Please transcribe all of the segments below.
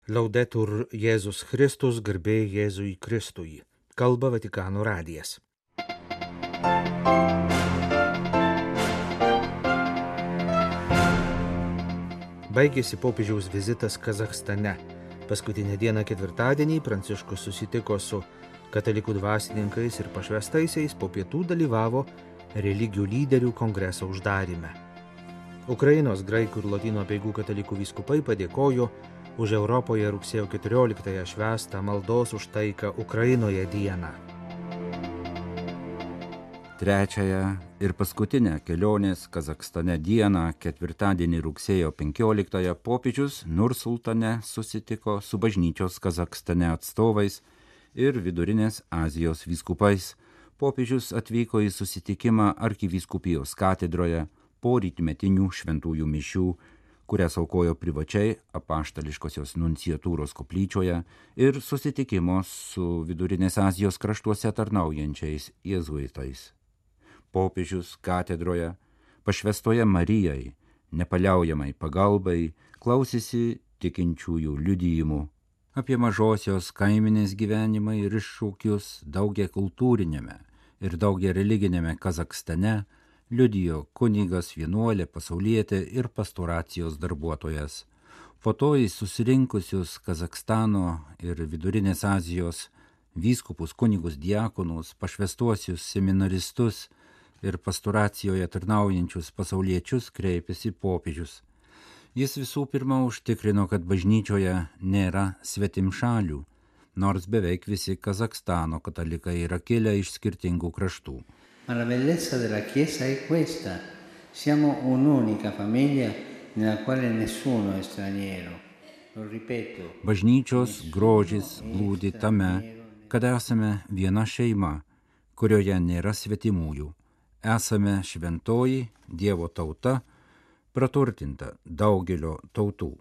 Laudetur Jėzus Kristus, garbė Jėzui Kristui. Kalba Vatikano radijas. Baigėsi popiežiaus vizitas Kazachstane. Paskutinę dieną ketvirtadienį Pranciškus susitiko su katalikų dvasininkais ir pašvestaisiais, po pietų dalyvavo religijų lyderių kongreso uždaryme. Ukrainos, graikų ir lotynų apeigų katalikų vyskupai padėkojo už Europoje rugsėjo 14-ąją švęstą maldos už taiką Ukrainoje dieną. Trečiąją ir paskutinę kelionės Kazachstane dieną, ketvirtadienį rugsėjo 15-ąją, popiežius Nursultane susitiko su bažnyčios Kazachstane atstovais ir Vidurinės Azijos vyskupais. Popiežius atvyko į susitikimą arkivyskupijos katedroje po rytmetinių šventųjų mišių, kurias aukojo privačiai apaštališkosios nunciatūros koplyčioje, ir susitikimo su Vidurinės Azijos kraštuose tarnaujančiais jėzuitais. Popiežius katedroje, pašvestoje Marijai, nepaliaujamai pagalbai, klausėsi tikinčiųjų liudijimų apie mažosios kaiminės gyvenimą ir iššūkius daugiakultūrinėme ir daugiareliginėme Kazachstane, liudijo kunigas, vienuolė, pasaulietė ir pastoracijos darbuotojas. Po to į susirinkusius Kazachstano ir Vidurinės Azijos vyskupus, kunigus, diakonus, pašvestuosius seminaristus ir pastoracijoje tarnaujančius pasauliečius kreipėsi popiežius. Jis visų pirma užtikrino, kad bažnyčioje nėra svetimšalių, nors beveik visi Kazachstano katalikai yra kilę iš skirtingų kraštų. Ma la bellezza della Chiesa è questa. Siamo un'unica famiglia nella quale nessuno è straniero. Lo ripeto. Bažnyčios grožis glūdi tame, kad esame viena šeima, kurioje nėra svetimųjų. Esame šventoji Dievo tauta, praturtinta daugelio tautų.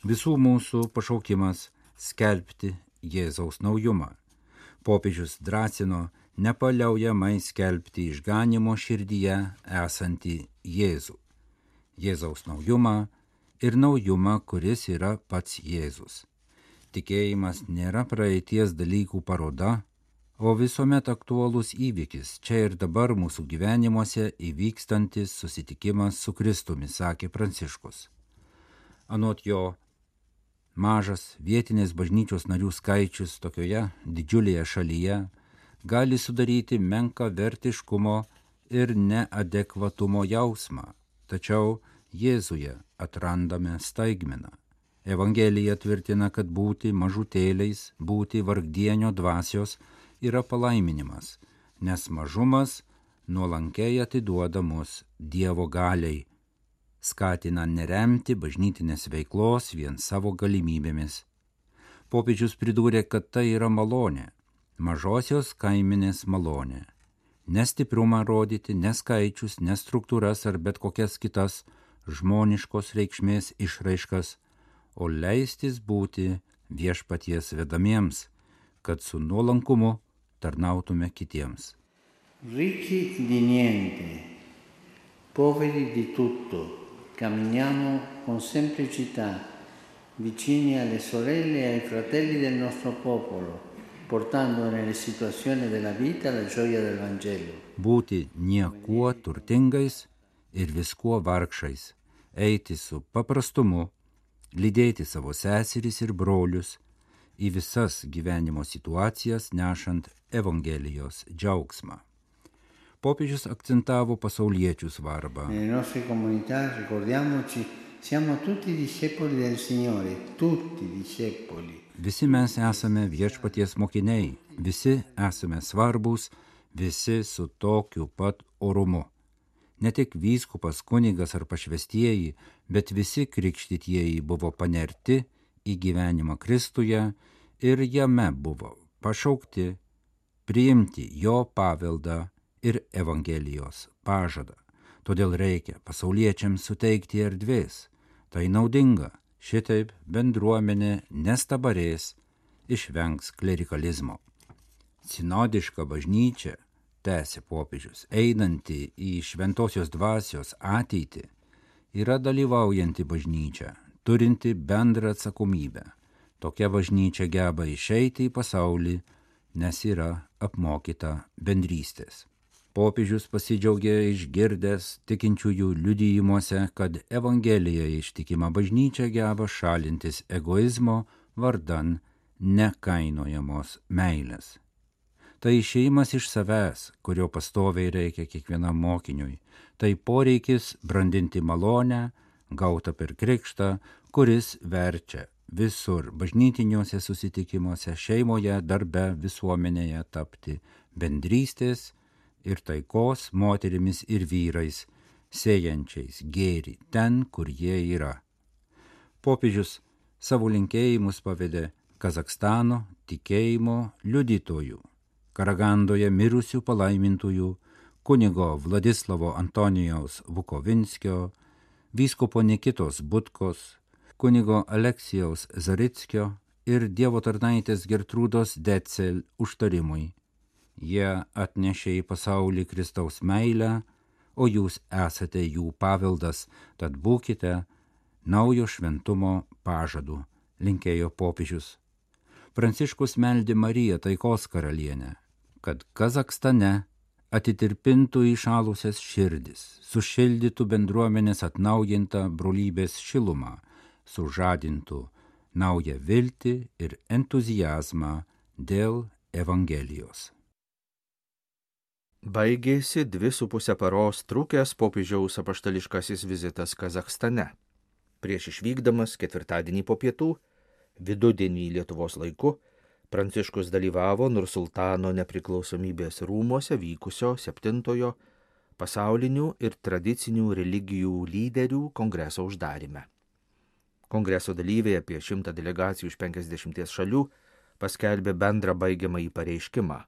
Visų mūsų pašaukimas skelbti Jėzaus naujumą. Popiežius drąsino nepaliaujamai skelbti išganymo širdyje esantį Jėzų, Jėzaus naujumą ir naujumą, kuris yra pats Jėzus. Tikėjimas nėra praeities dalykų paroda, o visuomet aktualus įvykis, čia ir dabar mūsų gyvenimuose įvykstantis susitikimas su Kristumi, sakė Pranciškus. Anot jo, mažas vietinės bažnyčios narių skaičius tokioje didžiulėje šalyje gali sudaryti menką vertiškumo ir neadekvatumo jausmą, tačiau Jėzuje atrandame staigmeną. Evangelija tvirtina, kad būti mažutėliais, būti vargdienio dvasios yra palaiminimas, nes mažumas nuolankiai atiduoda mus Dievo galiai, skatina neremti bažnytinės veiklos vien savo galimybėmis. Popiežius pridūrė, kad tai yra malonė, mažosios kaiminės malonė. Ne stiprumą rodyti, ne skaičius, ne struktūras ar bet kokias kitas žmoniškos reikšmės išraiškas, o leistis būti viešpaties vedamiems, kad su nuolankumu tarnautume kitiems. Ricchi di niente, poveri di tutto, camminiamo con semplicità, vicini alle sorelle e ai fratelli del nostro popolo, portando nelle situazioni della vita la gioia del Vangelo. Būti niekuo turtingais ir viskuo vargšais, eiti su paprastumu, lydėti savo seseris ir brolius į visas gyvenimo situacijas, nešant Evangelijos džiaugsmą. Popiežius akcentavo pasauliečių svarbą. Nelle nostre comunità, ricordiamoci, siamo tutti discepoli del Signore, tutti discepoli. Visi mes esame viešpaties mokiniai, visi esame svarbus, visi su tokiu pat orumu. Ne tik vyskupas, kunigas ar pašvestieji, bet visi krikštytieji buvo panerti į gyvenimą Kristuje ir jame buvo pašaukti priimti jo paveldą ir Evangelijos pažadą. Todėl reikia pasauliečiams suteikti erdvės. Tai naudinga. Šitaip bendruomenė nestabarės, išvengs klerikalizmo. Sinodiška bažnyčia, tęsė popiežius, einanti į šventosios dvasios ateitį, yra dalyvaujanti bažnyčia, turinti bendrą atsakomybę, Tokia bažnyčia geba išeiti į pasaulį, nes yra apmokyta bendrystės. Popiežius pasidžiaugė išgirdęs tikinčiųjų liudijimuose, kad Evangelija ištikima bažnyčia geba šalintis egoizmo vardan nekainojamos meilės. Tai išėjimas iš savęs, kurio pastoviai reikia kiekvienam mokiniui. Tai poreikis brandinti malonę, gautą per krikštą, kuris verčia visur bažnytiniuose susitikimuose, šeimoje, darbe, visuomenėje tapti bendrystės ir taikos moterimis ir vyrais, sėjančiais gėrį ten, kur jie yra. Popiežius savo linkėjimus pavedė Kazachstano tikėjimo liudytojų, Karagandoje mirusių palaimintųjų, kunigo Vladislavo Antonijaus Vukovinskio, vyskupo Nikitos Butkos, kunigo Aleksijaus Zarickio ir dievo tarnaitės Gertrūdos Decel užtarimui. Jie atnešė į pasaulį Kristaus meilę, o jūs esate jų paveldas, tad būkite naujo šventumo pažadu, linkėjo popiežius. Pranciškus meldė Mariją taikos karalienę, kad Kazachstane atitirpintų įšalusias širdis, sušildytų bendruomenės atnaujintą brolybės šilumą, sužadintų naują viltį ir entuzijazmą dėl Evangelijos. Baigėsi 2,5 paros trukęs popiežiaus apaštališkasis vizitas Kazachstane. Prieš išvykdamas ketvirtadienį po pietų, vidudienį Lietuvos laiku, Pranciškus dalyvavo Nursultano nepriklausomybės rūmuose vykusio 7 pasaulinių ir tradicinių religijų lyderių kongreso uždaryme. Kongreso dalyviai, apie 100 delegacijų iš 50 šalių, paskelbė bendrą baigiamąjį pareiškimą,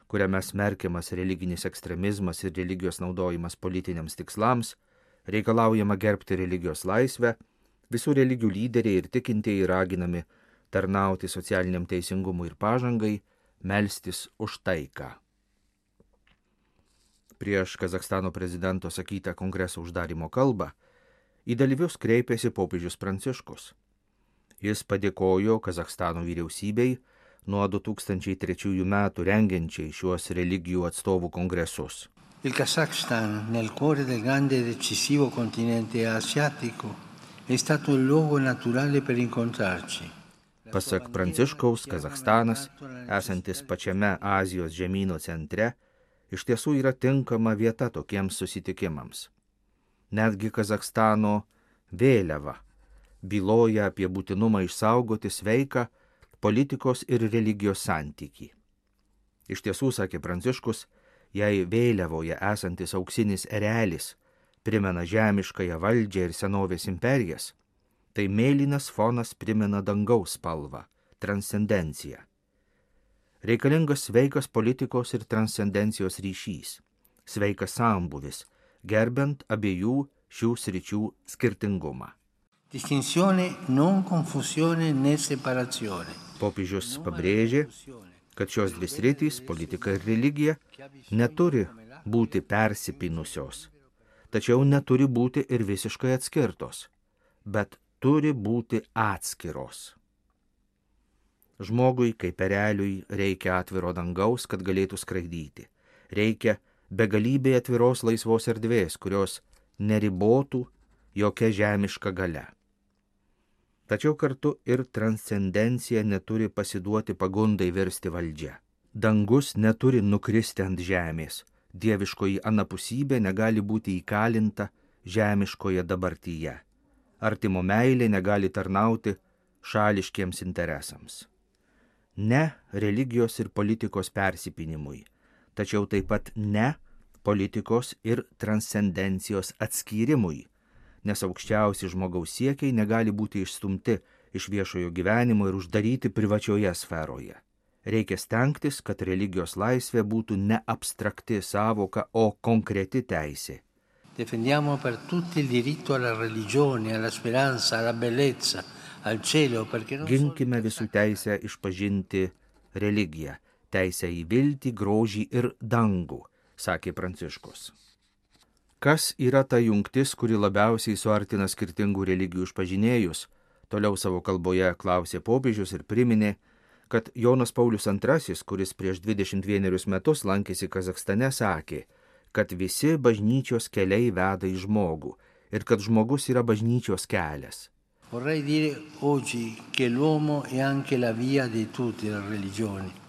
kuriame smerkiamas religinis ekstremizmas ir religijos naudojimas politiniams tikslams, reikalaujama gerbti religijos laisvę, visų religijų lyderiai ir tikintieji raginami tarnauti socialiniam teisingumui ir pažangai, melstis už taiką. Prieš Kazachstano prezidento sakytą kongreso uždarimo kalbą į dalyvius kreipėsi popiežius Pranciškus. Jis padėkojo Kazachstano vyriausybei nuo 2003 metų rengiančiai šiuos religijų atstovų kongresus. Il Kazakhstan, nel cuore del grande e decisivo continente asiatico, è stato il luogo naturale per incontrarci. Pasak Pranciškaus, Kazachstanas, esantis pačiame Azijos žemyno centre, iš tiesų yra tinkama vieta tokiems susitikimams. Netgi Kazachstano vėliava byloja apie būtinumą išsaugoti sveiką politikos ir religijos santykį. Iš tiesų, sakė Pranciškus, jei vėliavoje esantis auksinis erelis primena žemiškąją valdžią ir senovės imperijas, tai mėlynas fonas primena dangaus spalvą, transcendenciją. Reikalingas sveikas politikos ir transcendencijos ryšys, sveikas sambūvis, gerbent abiejų šių sričių skirtingumą. Distinzione, non confusione né separazione. Popiežius pabrėžė, kad šios dvi sritys, politika ir religija, neturi būti persipynusios, tačiau neturi būti ir visiškai atskirtos, bet turi būti atskiros. Žmogui, kaip ereliui, reikia atviro dangaus, kad galėtų skraidyti. Reikia begalybė atviros laisvos erdvės, kurios neribotų jokia žemiška galia. Tačiau kartu ir transcendencija neturi pasiduoti pagundai virsti valdžia. Dangus neturi nukristi ant žemės. Dieviškoji anapusybė negali būti įkalinta žemiškoje dabartyje. Artimo meilė negali tarnauti šališkiems interesams. Ne religijos ir politikos persipynimui, tačiau taip pat ne politikos ir transcendencijos atskyrimui, nes aukščiausi žmogaus siekiai negali būti išstumti iš viešojo gyvenimo ir uždaryti privačioje sferoje. Reikia stengtis, kad religijos laisvė būtų ne abstrakti savoka, o konkreti teisė. Difendiamo per tutti il diritto alla religione, alla speranza, alla bellezza, al cielo, perché non Ginkime visų teisę išpažinti religiją, teisę į viltį, grožį ir dangų, sakė Pranciškus. Kas yra ta jungtis, kuri labiausiai suartina skirtingų religijų išpažinėjus, Toliau savo kalboje klausė popiežius ir priminė, kad Jonas Paulius II, kuris prieš 21 metus lankėsi Kazachstane, sakė, kad visi bažnyčios keliai veda į žmogų ir kad žmogus yra bažnyčios kelias. Vorrei dire oggi che l'uomo è anche la via di tutte le religioni.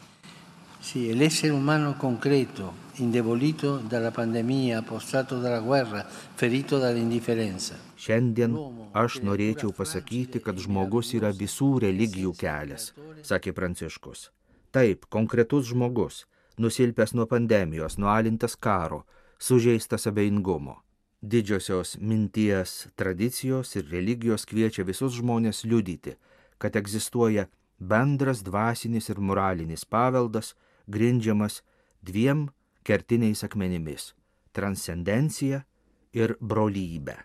Sì, è l'essere umano concreto, indebolito dalla pandemia, prostrato dalla guerra, ferito dall'indifferenza. Šiandien aš norėčiau pasakyti, kad žmogus yra visų religijų kelias, sakė Pranciškus. Taip, konkretus žmogus, nusilpęs nuo pandemijos, nualintas karo, sužeistas abejingumo. Didžiosios minties, tradicijos ir religijos kviečia visus žmonės liudyti, kad egzistuoja bendras dvasinis ir moralinis paveldas, grindžiamas dviem kertiniais akmenimis – transcendencija ir brolybė.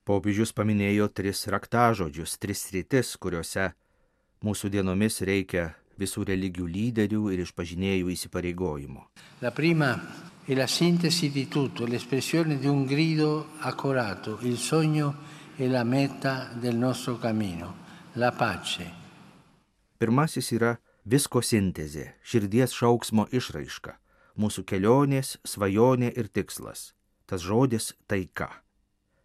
Popiežius paminėjo 3 raktažodžius, 3 sritis, kuriuose mūsų dienomis reikia visų religijų lyderių ir išpažinėjų įsipareigojimo. La prima è la sintesi di tutto, l'espressione di un grido accorato, il sogno e la meta del nostro cammino, la pace. Pirmasis yra visko sintezė, širdies šauksmo išraiška, mūsų kelionės, svajonė ir tikslas. Tas žodis taika.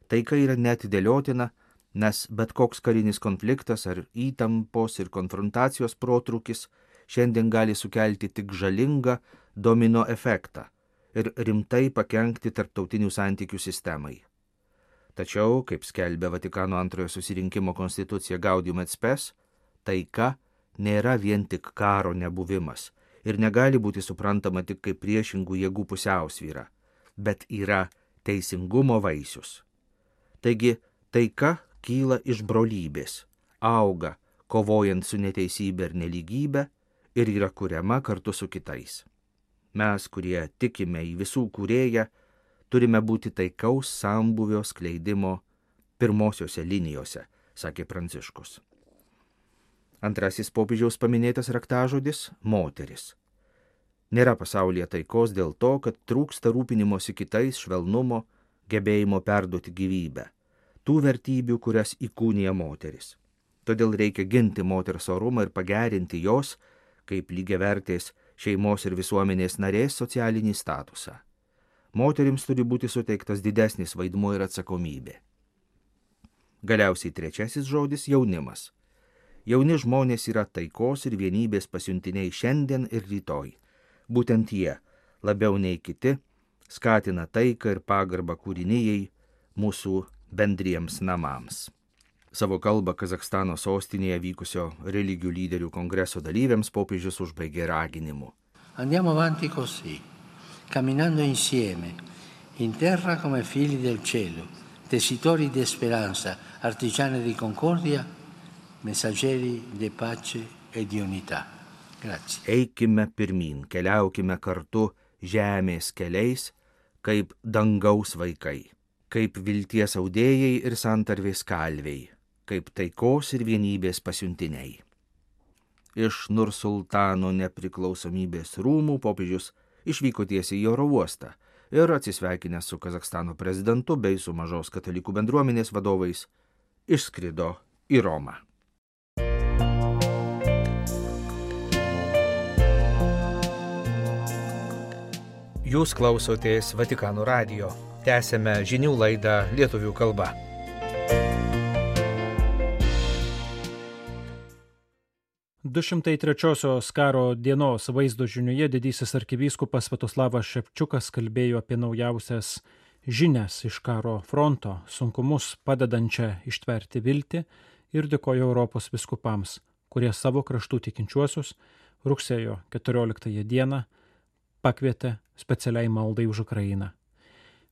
Taika yra neatidėliotina, nes bet koks karinis konfliktas ar įtampos ir konfrontacijos protrūkis šiandien gali sukelti tik žalingą domino efektą ir rimtai pakenkti tarptautinių santykių sistemai. Tačiau, kaip skelbia Vatikano antrojo susirinkimo konstitucija Gaudium et Spes, taika nėra vien tik karo nebuvimas ir negali būti suprantama tik kaip priešingų jėgų pusiausvyra, bet yra teisingumo vaisius. Taigi, taika kyla iš brolybės, auga, kovojant su neteisybė ir nelygybė ir yra kuriama kartu su kitais. Mes, kurie tikime į visų kūrėją, turime būti taikaus sambūvio skleidimo pirmosiose linijose, sakė Pranciškus. Antrasis popiežiaus paminėtas raktažodis – moteris. Nėra pasaulyje taikos dėl to, kad trūksta rūpinimosi kitais, švelnumo, gebėjimo perduoti gyvybę, tų vertybių, kurias įkūnija moteris. Todėl reikia ginti moters orumą ir pagerinti jos, kaip lygiavertės šeimos ir visuomenės narės socialinį statusą. Moterims turi būti suteiktas didesnis vaidmuo ir atsakomybė. Galiausiai trečiasis žodis – jaunimas. Jauni žmonės yra taikos ir vienybės pasiuntiniai šiandien ir rytoj. Būtent jie, labiau nei kiti, skatina taiką ir pagarbą kūrinijai, mūsų bendriems namams. Savo kalbą Kazachstano sostinėje vykusio religijų lyderių kongreso dalyviams popiežius užbaigė raginimu. Andiamo avanti così, camminando insieme, in terra come figli del cielo, tessitori di speranza, artigiani di concordia, messaggeri di pace e di unità. Grazie. Eikime pirmyn, keliaukime kartu žemės keliais, kaip dangaus vaikai, kaip vilties audėjai ir santarvės kalviai, kaip taikos ir vienybės pasiuntiniai. Iš Nursultano nepriklausomybės rūmų popiežius išvyko tiesiai į oro uostą ir atsisveikinęs su Kazachstano prezidentu bei su mažos katalikų bendruomenės vadovais išskrido į Romą. Jūs klausotės Vatikano radijo. Tęsėme žinių laidą lietuvių kalba. –203 karo dienos vaizdo žinioje didysis arkivyskupas Sviatoslavas Ševčiukas kalbėjo apie naujausias žinias iš karo fronto, sunkumus padedančią ištverti viltį ir dėkojo Europos vyskupams, kurie savo kraštų tikinčiuosius rugsėjo 14 dieną pakvietė specialiai maldai už Ukrainą.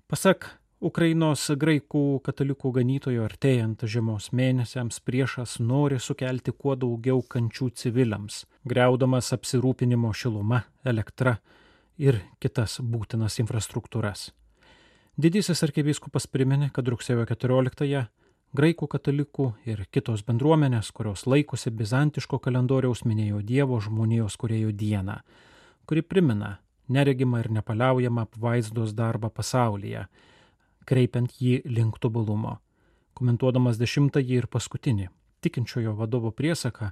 Pasak Ukrainos graikų katalikų ganytojo, artėjant žiemos mėnesiams priešas nori sukelti kuo daugiau kančių civiliams, griaudamas apsirūpinimo šiluma, elektra ir kitas būtinas infrastruktūras. Didysis arkivyskupas priminė, kad rugsėjo 14-ąją graikų katalikų ir kitos bendruomenės, kurios laikosi bizantiško kalendoriaus, minėjo Dievo žmonijos kūrėjo dieną, kuri primena neregimą ir nepaliaujamą apvaizdos darbą pasaulyje, kreipiant jį link tobulumo. Komentuodamas 10-ąjį ir paskutinį tikinčiojo vadovo priesaką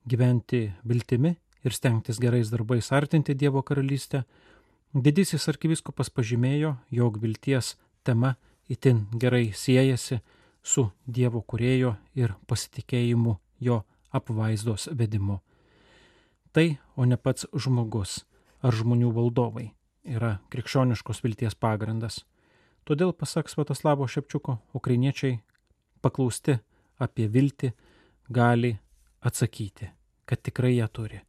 gyventi viltimi ir stengtis gerais darbais artinti Dievo karalystę, didysis arkivyskupas pažymėjo, jog vilties tema itin gerai siejasi su Dievo kūrėjo ir pasitikėjimu jo apvaizdos vedimu. Tai, o ne pats žmogus ar žmonių valdovai, yra krikščioniškos vilties pagrindas. Todėl, pasak Sviatoslavo Šepčiuko, ukrainiečiai paklausti apie viltį gali atsakyti, kad tikrai ją turi.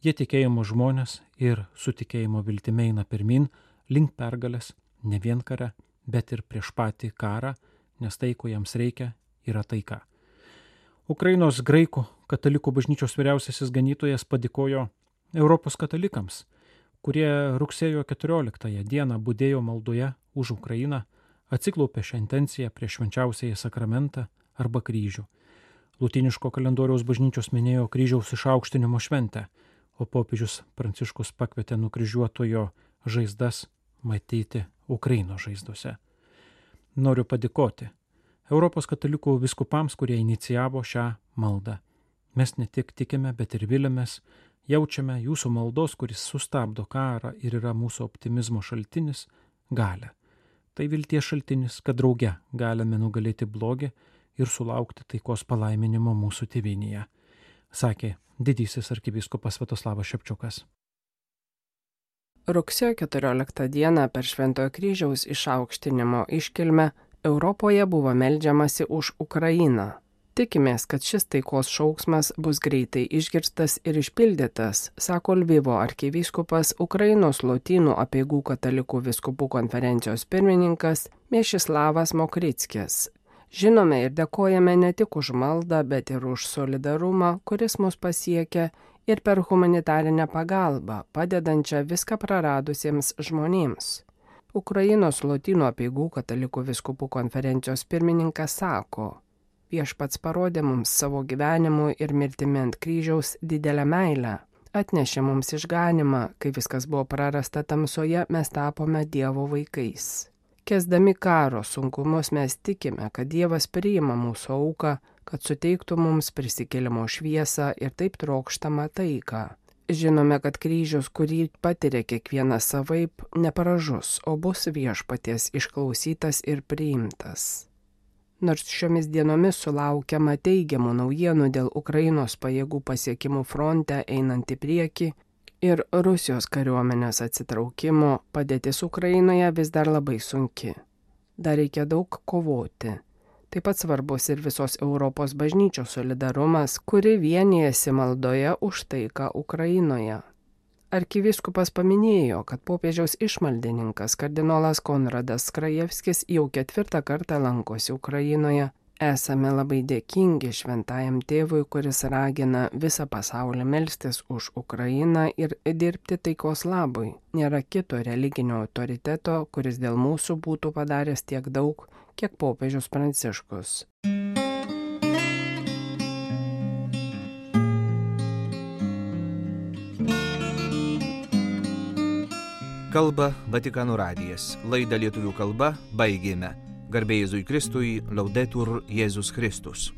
Jie tikėjimo žmonės ir su tikėjimo viltimi eina pirmin link pergalės ne vien kare, bet ir prieš patį karą, nes tai, ko jiems reikia, yra taika. Ukrainos graikų katalikų bažnyčios vyriausiasis ganytojas padėkojo Europos katalikams, kurie rugsėjo 14 dieną budėjo maldoje už Ukrainą, atsiklaupė šią intenciją prieš švenčiausiąjį sakramentą arba kryžių. Lotyniško kalendoriaus bažnyčios minėjo kryžiaus išaukštinimo šventę, o popiežius Pranciškus pakvietė nukryžiuotojo žaizdas matyti Ukrainos žaizdose. Noriu padėkoti Europos katalikų vyskupams, kurie inicijavo šią maldą. Mes ne tik tikime, bet ir vilėmės, jaučiame jūsų maldos, kuris sustabdo karą ir yra mūsų optimizmo šaltinis, galią. Tai vilties šaltinis, kad drauge galime nugalėti blogį ir sulaukti taikos palaiminimo mūsų tėvynėje, sakė didysis arkivyskupas Sviatoslavas Šepčiukas. Rugsėjo 14 dieną per Šventojo kryžiaus išaukštinimo iškilmę Europoje buvo meldžiamasi už Ukrainą. Tikimės, kad šis taikos šauksmas bus greitai išgirstas ir išpildytas, sako Lvivo arkivyskupas Ukrainos lotynų apeigų katalikų vyskupų konferencijos pirmininkas Miešislavas Mokrickis. Žinome ir dėkojame ne tik už maldą, bet ir už solidarumą, kuris mus pasiekia, ir per humanitarinę pagalbą, padedančią viską praradusiems žmonėms. Ukrainos lotynų apeigų katalikų vyskupų konferencijos pirmininkas sako: Viešpats parodė mums savo gyvenimu ir mirtimi ant kryžiaus didelę meilę. Atnešė mums išganimą, kai viskas buvo prarasta tamsoje, mes tapome Dievo vaikais. Kęsdami karo sunkumus mes tikime, kad Dievas priima mūsų auką, kad suteiktų mums prisikėlimo šviesą ir taip trokštamą taiką. Žinome, kad kryžius, kurį patiria kiekvienas savaip, nepražus, o bus viešpaties išklausytas ir priimtas. Nors šiomis dienomis sulaukiama teigiamų naujienų dėl Ukrainos pajėgų pasiekimų fronte einant į priekį ir Rusijos kariuomenės atsitraukimo, padėtis Ukrainoje vis dar labai sunki. Dar reikia daug kovoti. Taip pat svarbus ir visos Europos bažnyčios solidarumas, kuri vienijasi maldoje už taiką Ukrainoje. Arkivyskupas paminėjo, kad popiežiaus išmaldininkas kardinolas Konradas Krajevskis jau 4. kartą lankosi Ukrainoje. Esame labai dėkingi šventajam tėvui, kuris ragina visą pasaulį melstis už Ukrainą ir dirbti taikos labui. Nėra kito religinio autoriteto, kuris dėl mūsų būtų padaręs tiek daug, kiek popiežius Pranciškus. Kalba Vatikano radijas. Laidą lietuvių kalba baigėme. Garbė Jėzui Kristui, Laudetur Jėzus Kristus.